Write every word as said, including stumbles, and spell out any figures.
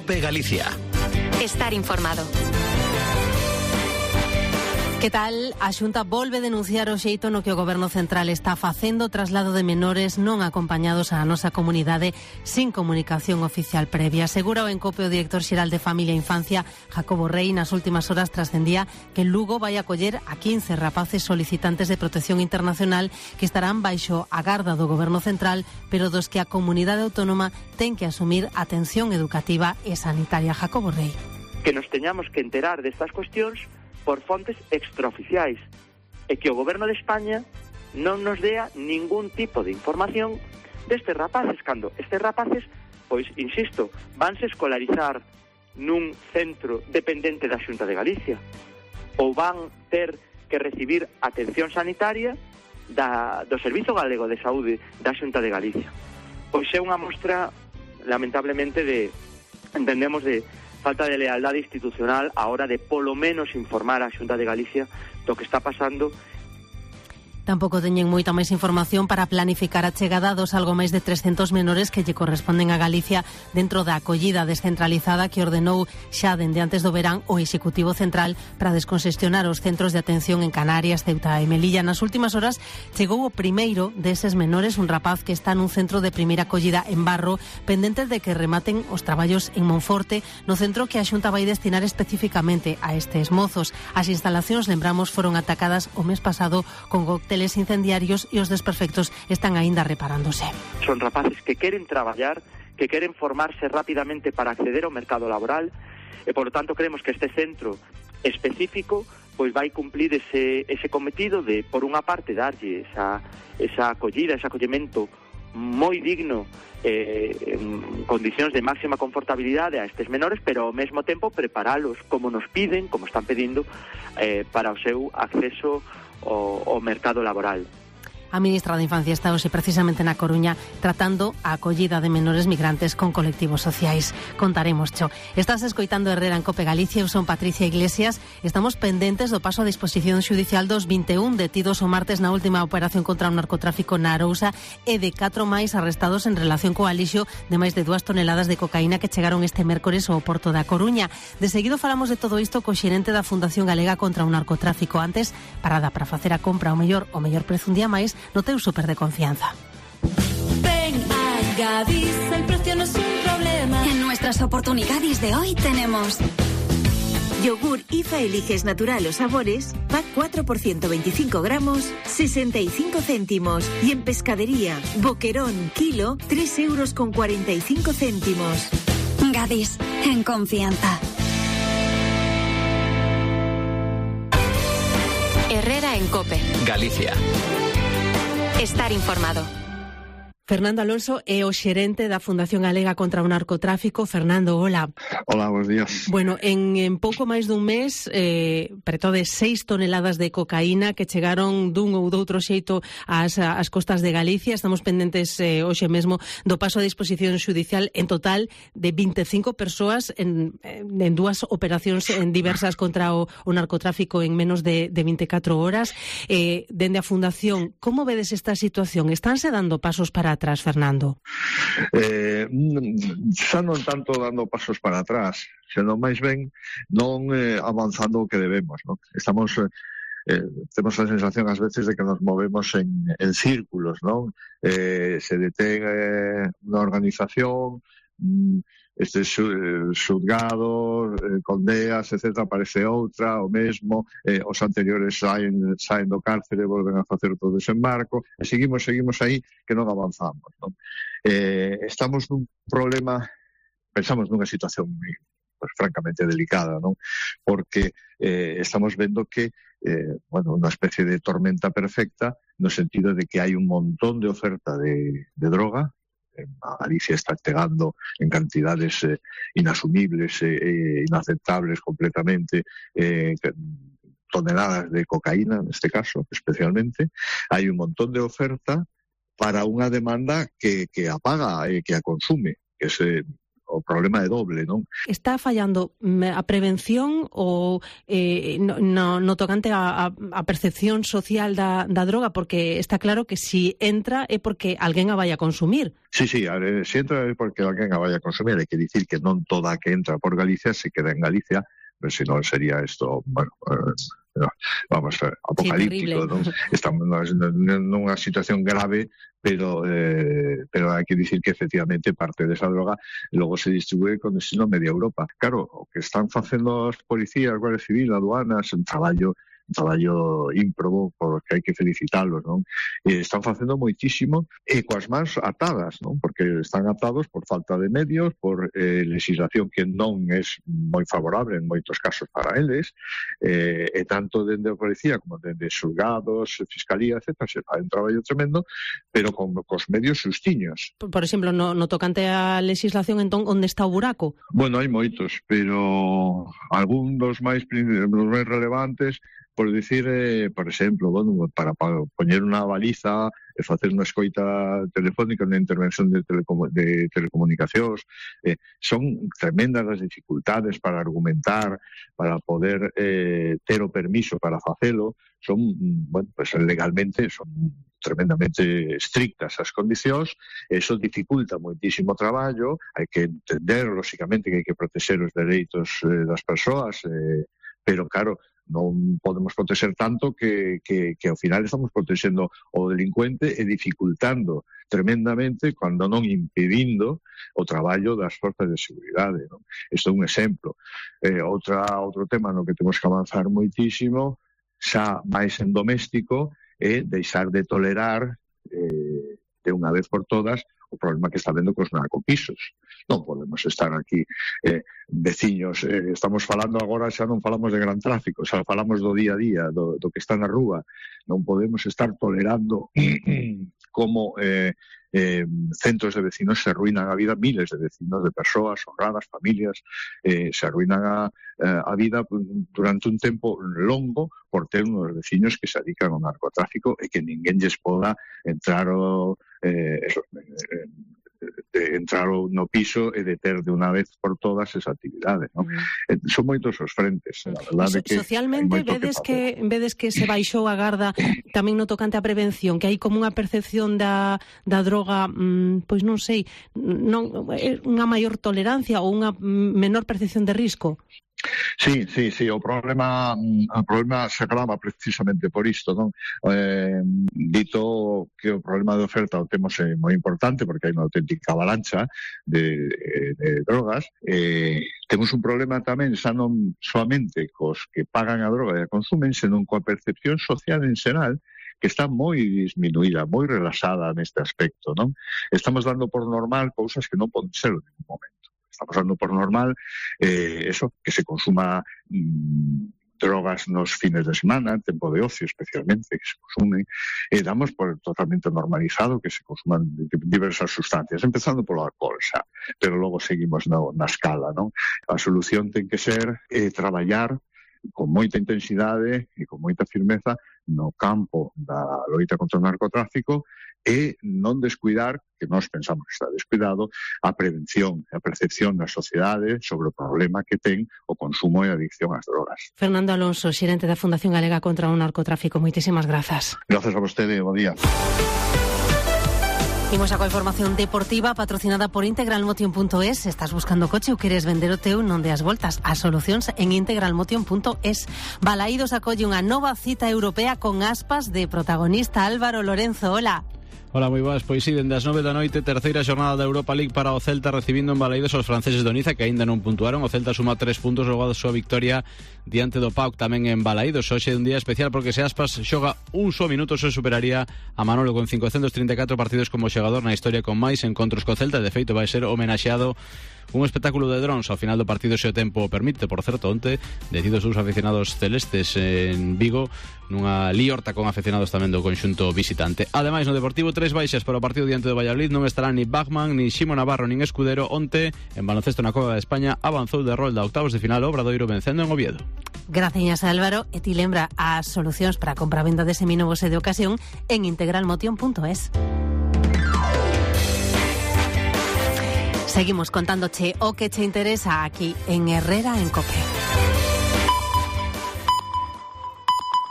COPE Galicia. Estar informado. Que tal? A Xunta volve denunciar o xeito no que o Goberno Central está facendo traslado de menores non acompañados á nosa comunidade sin comunicación oficial previa. Asegura o Encope o director xeral de Familia e Infancia, Jacobo Rey, nas últimas horas trascendía que Lugo vai acoller a quince rapaces solicitantes de protección internacional que estarán baixo a garda do Goberno Central, pero dos que a comunidade autónoma ten que asumir atención educativa e sanitaria. Jacobo Rey. Que nos teñamos que enterar destas cuestións por fontes extraoficiais e que o Goberno de España non nos dea ningún tipo de información destes rapaces, cando estes rapaces, pois, insisto, vanse escolarizar nun centro dependente da Xunta de Galicia ou van ter que recibir atención sanitaria da, do Servizo Galego de Saúde da Xunta de Galicia. Pois é unha mostra, lamentablemente, de, entendemos, de falta de lealdade institucional a hora de polo menos informar a Xunta de Galicia do que está pasando. Tampouco teñen moita máis información para planificar a chegada dos algo máis de trescentos menores que lle corresponden a Galicia dentro da acollida descentralizada que ordenou xa dende antes do verán o Executivo Central para desconxestionar os centros de atención en Canarias, Ceuta e Melilla. Nas últimas horas chegou o primeiro deses menores, un rapaz que está nun centro de primeira acollida en Barro, pendentes de que rematen os traballos en Monforte, no centro que a Xunta vai destinar especificamente a estes mozos. As instalacións, lembramos, foron atacadas o mes pasado con cócteles incendiarios e os desperfectos están aínda reparándose. Son rapaces que queren traballar, que queren formarse rapidamente para acceder ao mercado laboral e, por lo tanto, creemos que este centro específico pois vai cumplir ese, ese cometido de, por unha parte, darlle esa, esa acollida, ese acollemento moi digno, eh, en condicións de máxima confortabilidade a estes menores, pero ao mesmo tempo preparalos como nos piden, como están pedindo, eh, para o seu acceso O, o mercado laboral. A ministra da Infancia está hoxe precisamente na Coruña tratando a acollida de menores migrantes con colectivos sociais. Contaremos, cho. Estás escoitando Herrera en Cope Galicia, eu son Patricia Iglesias. Estamos pendentes do paso a disposición xudicial dos vinte e un detidos o martes na última operación contra o narcotráfico na Arousa e de catro máis arrestados en relación co alixo de máis de dúas toneladas de cocaína que chegaron este mércores ao porto da Coruña. De seguido falamos de todo isto co xerente da Fundación Galega contra o Narcotráfico. Antes, parada para facer a compra ao mellor o mellor prezo un día máis no teu súper de confianza. Ven a Gadis, el precio no es un problema. En nuestras oportunidades de hoy tenemos yogur I F A Eliges Natural o Sabores, pack cuatro por ciento veinticinco gramos, sesenta y cinco céntimos. Y en pescadería, boquerón, kilo, tres euros con cuarenta y cinco céntimos. Gadis, en confianza. Herrera en Cope Galicia. Estar informado. Fernando Alonso é o xerente da Fundación Galega contra o Narcotráfico. Fernando, hola. Hola, buenos días. Bueno, en, en pouco máis dun mes, eh, preto de seis toneladas de cocaína que chegaron dun ou doutro xeito ás, ás costas de Galicia. Estamos pendentes eh, hoxe mesmo do paso a disposición xudicial en total de vinte e cinco persoas en, en dúas operacións en diversas contra o, o narcotráfico en menos de, de vinte e catro horas. Eh, dende a Fundación, como vedes esta situación? Estánse dando pasos para atrás, Fernando? Eh, xa non tanto dando pasos para atrás, senón máis ben non eh, avanzando o que debemos, non? Estamos, eh, temos a sensación ás veces de que nos movemos en, en círculos, non? Eh, se detén eh, unha organización, mm, estes xulgados, eh, condeas, etcétera, aparece outra, o mesmo, eh, os anteriores saen, saen do cárcere e volven a facer todo o desembarco, e seguimos, seguimos aí que non avanzamos, non? Eh, estamos nun problema, pensamos nunha situación pues, francamente delicada, non? Porque eh, estamos vendo que eh, bueno, unha especie de tormenta perfecta no sentido de que hai un montón de oferta de, de droga. A Galicia está chegando en cantidades eh, inasumibles e eh, inaceptables completamente, eh, toneladas de cocaína, neste caso, especialmente. Hai un montón de oferta para unha demanda que, que a paga e eh, que a consume, que se o problema é doble, non? Está fallando a prevención ou eh, no, no, no tocante a, a percepción social da, da droga? Porque está claro que si entra é porque alguén a vai a consumir. Sí, sí, se entra é porque alguén a vai a consumir. Hai que dicir que non toda a que entra por Galicia se queda en Galicia, pero se non sería isto, bueno, eh, vamos, apocalíptico, sí, non? Estamos nunha situación grave, pero eh, pero hai que dicir que efectivamente parte desa droga logo se distribúe con destino a media Europa. Claro, o que están facendo as policías, Guardia Civil, aduanas, un traballo un traballo ímprobo, por que hai que felicitarlos, non? E están facendo moitísimo e coas mans atadas, non? Porque están atados por falta de medios, por eh, legislación que non é moi favorable en moitos casos para eles, eh, e tanto dende a policía como dende xulgados, fiscalía, etcétera, se fai un traballo tremendo, pero con cos medios xustiños. Por, por exemplo, no, no tocante á legislación, entón, onde está o buraco? Bueno, hai moitos, pero algún dos máis, dos máis relevantes, por dicir, eh, por exemplo, bueno, para, para poñer unha baliza e facer unha escoita telefónica, unha intervención de, telecomu de telecomunicacións, eh, son tremendas as dificultades para argumentar, para poder eh, ter o permiso para facelo, son, bueno, pues legalmente son tremendamente estrictas as condicións, eso dificulta moitísimo o traballo, hai que entender, lóxicamente, que hai que protexer os dereitos eh, das persoas, eh, pero, claro, non podemos protexer tanto que, que, que ao final estamos protexendo o delincuente e dificultando tremendamente, cando non impedindo o traballo das forzas de seguridade, non? Isto é un exemplo. Eh, outra, outro tema no que temos que avanzar moitísimo, xa máis en doméstico, é deixar de tolerar eh, de unha vez por todas o problema que está vendo cos narcopisos. Non podemos estar aquí eh, veciños, eh, estamos falando agora, xa non falamos de gran tráfico, xa falamos do día a día, do, do que está na rúa. Non podemos estar tolerando como eh, eh, centros de vecinos se arruinan a vida, miles de vecinos, de persoas honradas, familias, eh, se arruinan a, a vida durante un tempo longo por ter unos vecinos que se dedican ao narcotráfico e que ninguén lles poda entrar o Eh, eso, eh, de entrar no piso e de ter de unha vez por todas esa actividade, ¿no? Mm. Eh, son moitos os frentes, a verdade so, que socialmente vedes que, que vedes que se baixou a garda tamén no tocante a prevención, que hai como unha percepción da, da droga, mmm, pois non sei, non unha maior tolerancia ou unha menor percepción de risco. Sí, sí, sí, o problema o problema se agrava precisamente por isto, non? Eh, dito que o problema de oferta o temos é moi importante porque hai unha auténtica avalancha de, de drogas, eh, temos un problema tamén xa non solamente cos que pagan a droga e a consumen, senón coa percepción social en xeral, que está moi disminuída, moi relaxada neste aspecto, non? Estamos dando por normal cousas que non poden ser en ningún momento. Estamos dando por normal eh, eso, que se consuma mmm, drogas nos fines de semana, en tempo de ocio especialmente, que se consume, e damos por totalmente normalizado que se consuman diversas sustancias, empezando polo alcohol xa, pero logo seguimos na, na escala, non? A solución ten que ser eh, traballar con moita intensidade e con moita firmeza no campo da loita contra o narcotráfico e non descuidar, que nós pensamos que está descuidado, a prevención, a percepción da sociedade sobre o problema que ten o consumo e a adicción ás drogas. Fernando Alonso, xerente da Fundación Galega contra o Narcotráfico, moitísimas grazas. Grazas a vostede, bo día. Imos a coa información deportiva patrocinada por integralmotion punto es. Estás buscando coche ou queres vender o teu, non deas voltas. As solucións en integralmotion punto es. Balaídos acolle unha nova cita europea con Aspas de protagonista Álvaro Lorenzo. Hola. Hola, moi boas. Pois si, dende as nove da noite, terceira xornada da Europa League para o Celta, recibindo en Balaídos aos franceses do Niza, que aínda non puntuaron. O Celta suma tres puntos logo da súa victoria diante do P A O K tamén en Balaídos. Hoxe é un día especial porque se Aspas xoga un só minuto se superaría a Manolo con cincocentos trinta e catro partidos como xogador na historia con máis encontros co Celta. De feito, vai ser homenaxeado un espectáculo de drones ao final do partido se o tempo permite. Por certo, onte decidos os aficionados celestes en Vigo nunha liorta con aficionados tamén do conxunto visitante. Ademais, no Deportivo, tres baixas para o partido diante do Valladolid. Non estarán ni Bachmann, ni Ximo Navarro, nin Escudero. Onte, en baloncesto na Copa de España, avanzou de rol da octavos de final o Obradoiro vencendo en Oviedo. Gracias, Álvaro. E ti lembra as solucións para a compra-venda de seminovos e de ocasión en integralmotion punto es. Seguimos contándoche o que che interesa aquí en Herrera en COPE.